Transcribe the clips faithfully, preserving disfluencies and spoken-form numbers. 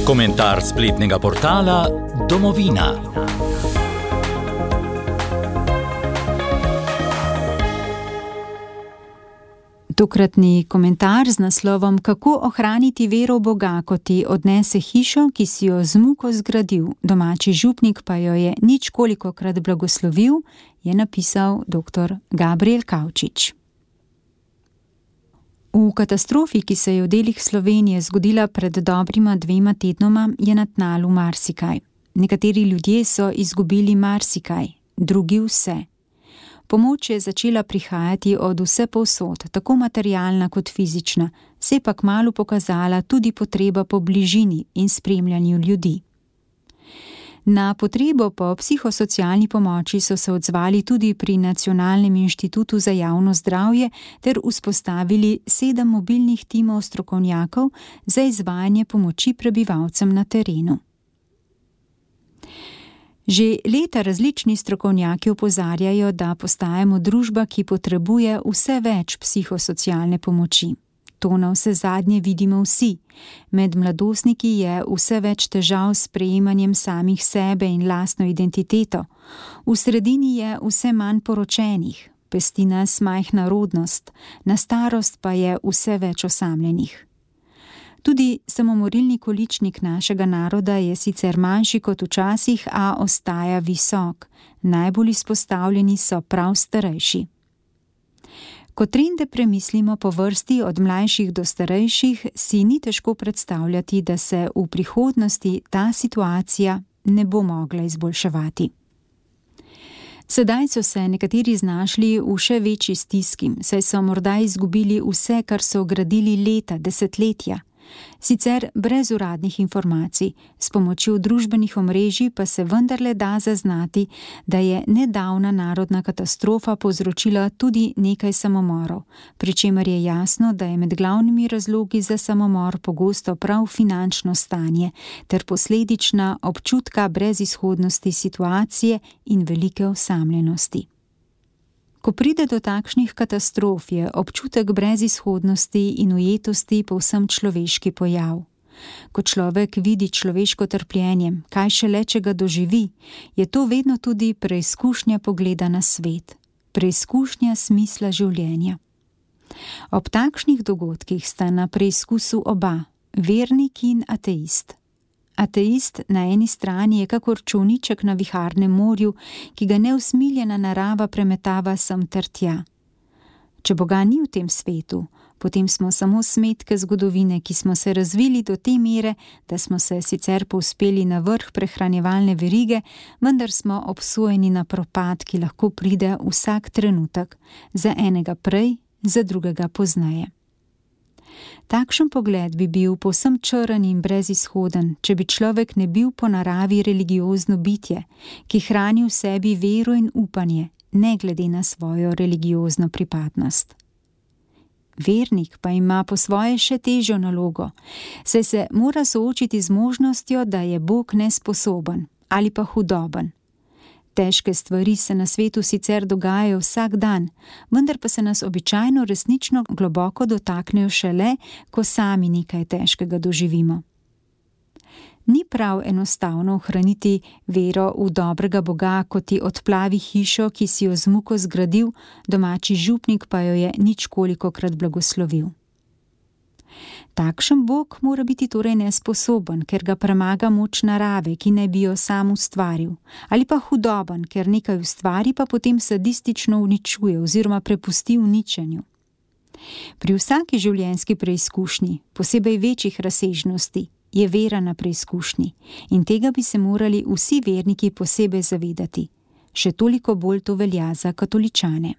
Komentar spletnega portala Domovina. Tokratni komentar z naslovom Kako ohraniti vero v Boga, ko ti odnese hišo, ki si jo z muko zgradil, domači župnik pa jo je ničkolikokrat blagoslovil, je napisal doktor Gabriel Kavčič. V katastrofi, ki se je v delih Slovenije zgodila pred dobrima dvema tednoma, je na tnalu marsikaj. Nekateri ljudje so izgubili marsikaj, drugi vse. Pomoč je začela prihajati od vsepovsod, tako materialna kot fizična, se je pa kmalu pokazala tudi potreba po bližini in spremljanju ljudi. Na potrebo po psihosocialni pomoči so se odzvali tudi pri Nacionalnem inštitutu za javno zdravje ter vzpostavili sedem mobilnih timov strokovnjakov za izvajanje pomoči prebivalcem na terenu. Že leta različni strokovnjaki opozarjajo, da postajamo družba, ki potrebuje vse več psihosocialne pomoči. To navsezadnje vidimo vsi. Med mladostniki je vse več težav s sprejemanjem samih sebe in lastno identiteto. V sredini je vse manj poročenih, pesti nas majhna rodnost, na starost pa je vse več osamljenih. Tudi samomorilni količnik našega naroda je sicer manjši kot včasih, a ostaja visok. Najbolj izpostavljeni so prav starejši. Ko trende premislimo po vrsti od mlajših do starejših, si ni težko predstavljati, da se v prihodnosti ta situacija ne bo mogla izboljševati. Sedaj so se nekateri znašli v še večji stiski, saj so morda izgubili vse, kar so gradili leta, desetletja. Sicer brez uradnih informacij, s pomočjo družbenih omrežij pa se vendarle da zaznati, da je nedavna narodna katastrofa povzročila tudi nekaj samomorov, pri čemer je jasno, da je med glavnimi razlogi za samomor pogosto prav finančno stanje ter posledična občutka brezizhodnosti situacije in velike osamljenosti. Ko pride do takšnih katastrof, je občutek brezizhodnosti in ujetosti povsem človeški pojav. Ko človek vidi človeško trpljenje, kaj šele če ga doživi, je to vedno tudi preizkušnja pogleda na svet, preizkušnja smisla življenja. Ob takšnih dogodkih sta na preizkusu oba, vernik in ateist. Ateist na eni strani je kakor čolniček na viharnem morju, ki ga neusmiljena narava premetava sem ter tja. Če Boga ni v tem svetu, potem smo samo smetke zgodovine, ki smo se razvili do te mere, da smo se sicer povzpeli na vrh prehranjevalne verige, vendar smo obsojeni na propad, ki lahko pride vsak trenutek, za enega prej, za drugega pozneje. Takšen pogled bi bil povsem črn in brezizhoden, če bi človek ne bil po naravi religiozno bitje, ki hrani v sebi vero in upanje, ne glede na svojo religiozno pripadnost. Vernik pa ima po svoje še težjo nalogo, saj se mora soočiti z možnostjo, da je Bog nesposoben ali pa hudoben. Težke stvari se na svetu sicer dogajajo vsak dan, vendar pa se nas običajno resnično globoko dotaknejo šele, ko sami nekaj težkega doživimo. Ni prav enostavno ohraniti vero v dobrega Boga, ko ti odplavi hišo, ki si jo z muko zgradil, domači župnik pa jo je ničkolikokrat blagoslovil. Takšen Bog mora biti torej nesposoben, ker ga premaga moč narave, ki naj bi jo sam ustvaril, ali pa hudoben, ker nekaj ustvari, pa potem sadistično uničuje oziroma prepusti uničenju. Pri vsaki življenjski preizkušnji, posebej večjih razsežnosti, je vera na preizkušnji in tega bi se morali vsi verniki posebej zavedati. Še toliko bolj to velja za katoličane.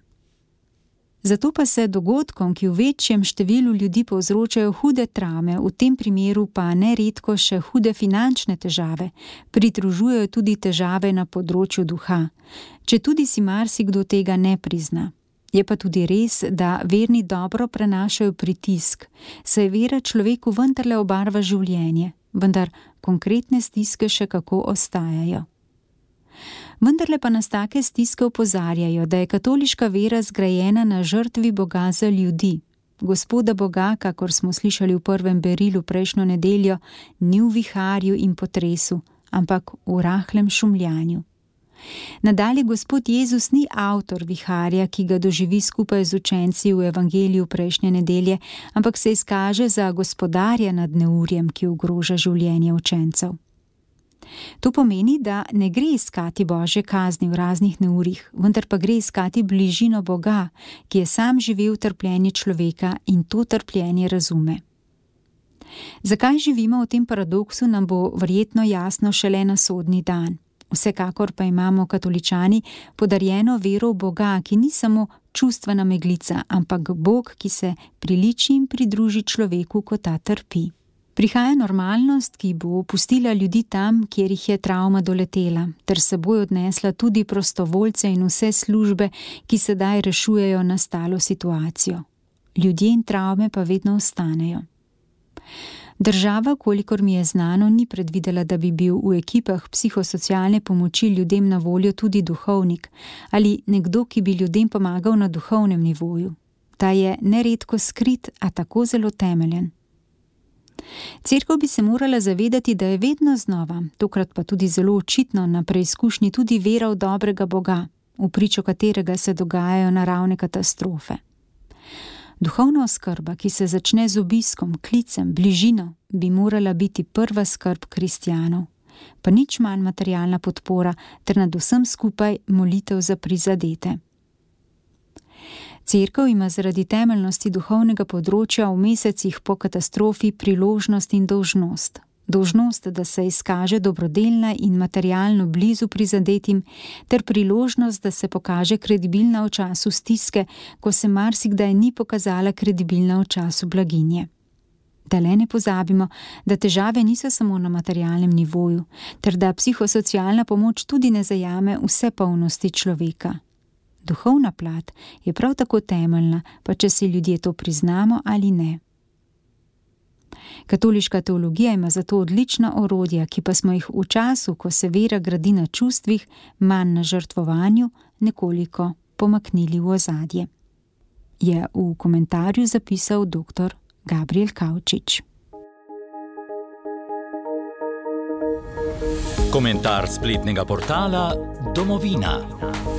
Zato pa se dogodkom, ki v večjem številu ljudi povzročajo hude travme, v tem primeru pa neredko še hude finančne težave, pridružujejo tudi težave na področju duha, četudi si marsikdo tega ne prizna. Je pa tudi res, da verni dobro prenašajo pritisk, saj vera človeku vendarle obarva življenje, vendar konkretne stiske še kako ostajajo. Vendarle pa nas take stiske opozarjajo, da je katoliška vera zgrajena na žrtvi Boga za ljudi. Gospoda Boga, kakor smo slišali v prvem berilu prejšnjo nedeljo, ni v viharju in potresu, ampak v rahlem šumljanju. Nadalje Gospod Jezus ni avtor viharja, ki ga doživi skupaj z učenci v evangeliju prejšnje nedelje, ampak se izkaže za gospodarja nad neurjem, ki ogroža življenje učencev. To pomeni, da ne gre iskati Božje kazni v raznih neurjih, vendar pa gre iskati bližino Boga, ki je sam živel trpljenje človeka in to trpljenje razume. Zakaj živimo v tem paradoksu, nam bo verjetno jasno šele na sodni dan. Vsekakor pa imamo katoličani podarjeno vero v Boga, ki ni samo čustvena meglica, ampak Bog, ki se priliči in pridruži človeku, ko ta trpi. Prihaja normalnost, ki bo pustila ljudi tam, kjer jih je travma doletela, ter seboj odnesla tudi prostovoljce in vse službe, ki sedaj rešujejo nastalo situacijo. Ljudje in travme pa vedno ostanejo. Država, kolikor mi je znano, ni predvidela, da bi bil v ekipah psihosocialne pomoči ljudem na voljo tudi duhovnik ali nekdo, ki bi ljudem pomagal na duhovnem nivoju. Ta je neredko skrit, a tako zelo temeljen. Cerkev bi se morala zavedati, da je vedno znova, tokrat pa tudi zelo očitno na preizkušnji tudi vera v dobrega Boga, v pričo katerega se dogajajo naravne katastrofe. Duhovna oskrba, ki se začne z obiskom, klicem, bližino, bi morala biti prva skrb kristjanov, pa nič manj materialna podpora ter nad vsem skupaj molitev za prizadete. Cerkev ima zaradi temeljnosti duhovnega področja v mesecih po katastrofi priložnost in dolžnost. Dolžnost, da se izkaže dobrodelna in materialno blizu prizadetim, ter priložnost, da se pokaže kredibilna v času stiske, ko se marsikdaj ni pokazala kredibilna v času blaginje. Da le ne pozabimo, da težave niso samo na materialnem nivoju, ter da psihosocialna pomoč tudi ne zajame vse polnosti človeka. Duhovna plat je prav tako temeljna, pa če si ljudje to priznamo ali ne. Katoliška teologija ima zato odlična orodja, ki pa smo jih v času, ko se vera gradi na čustvih, manj na žrtvovanju, nekoliko pomaknili v ozadje. Je v komentarju zapisal doktor Gabriel Kavčič. Komentar spletnega portala Domovina.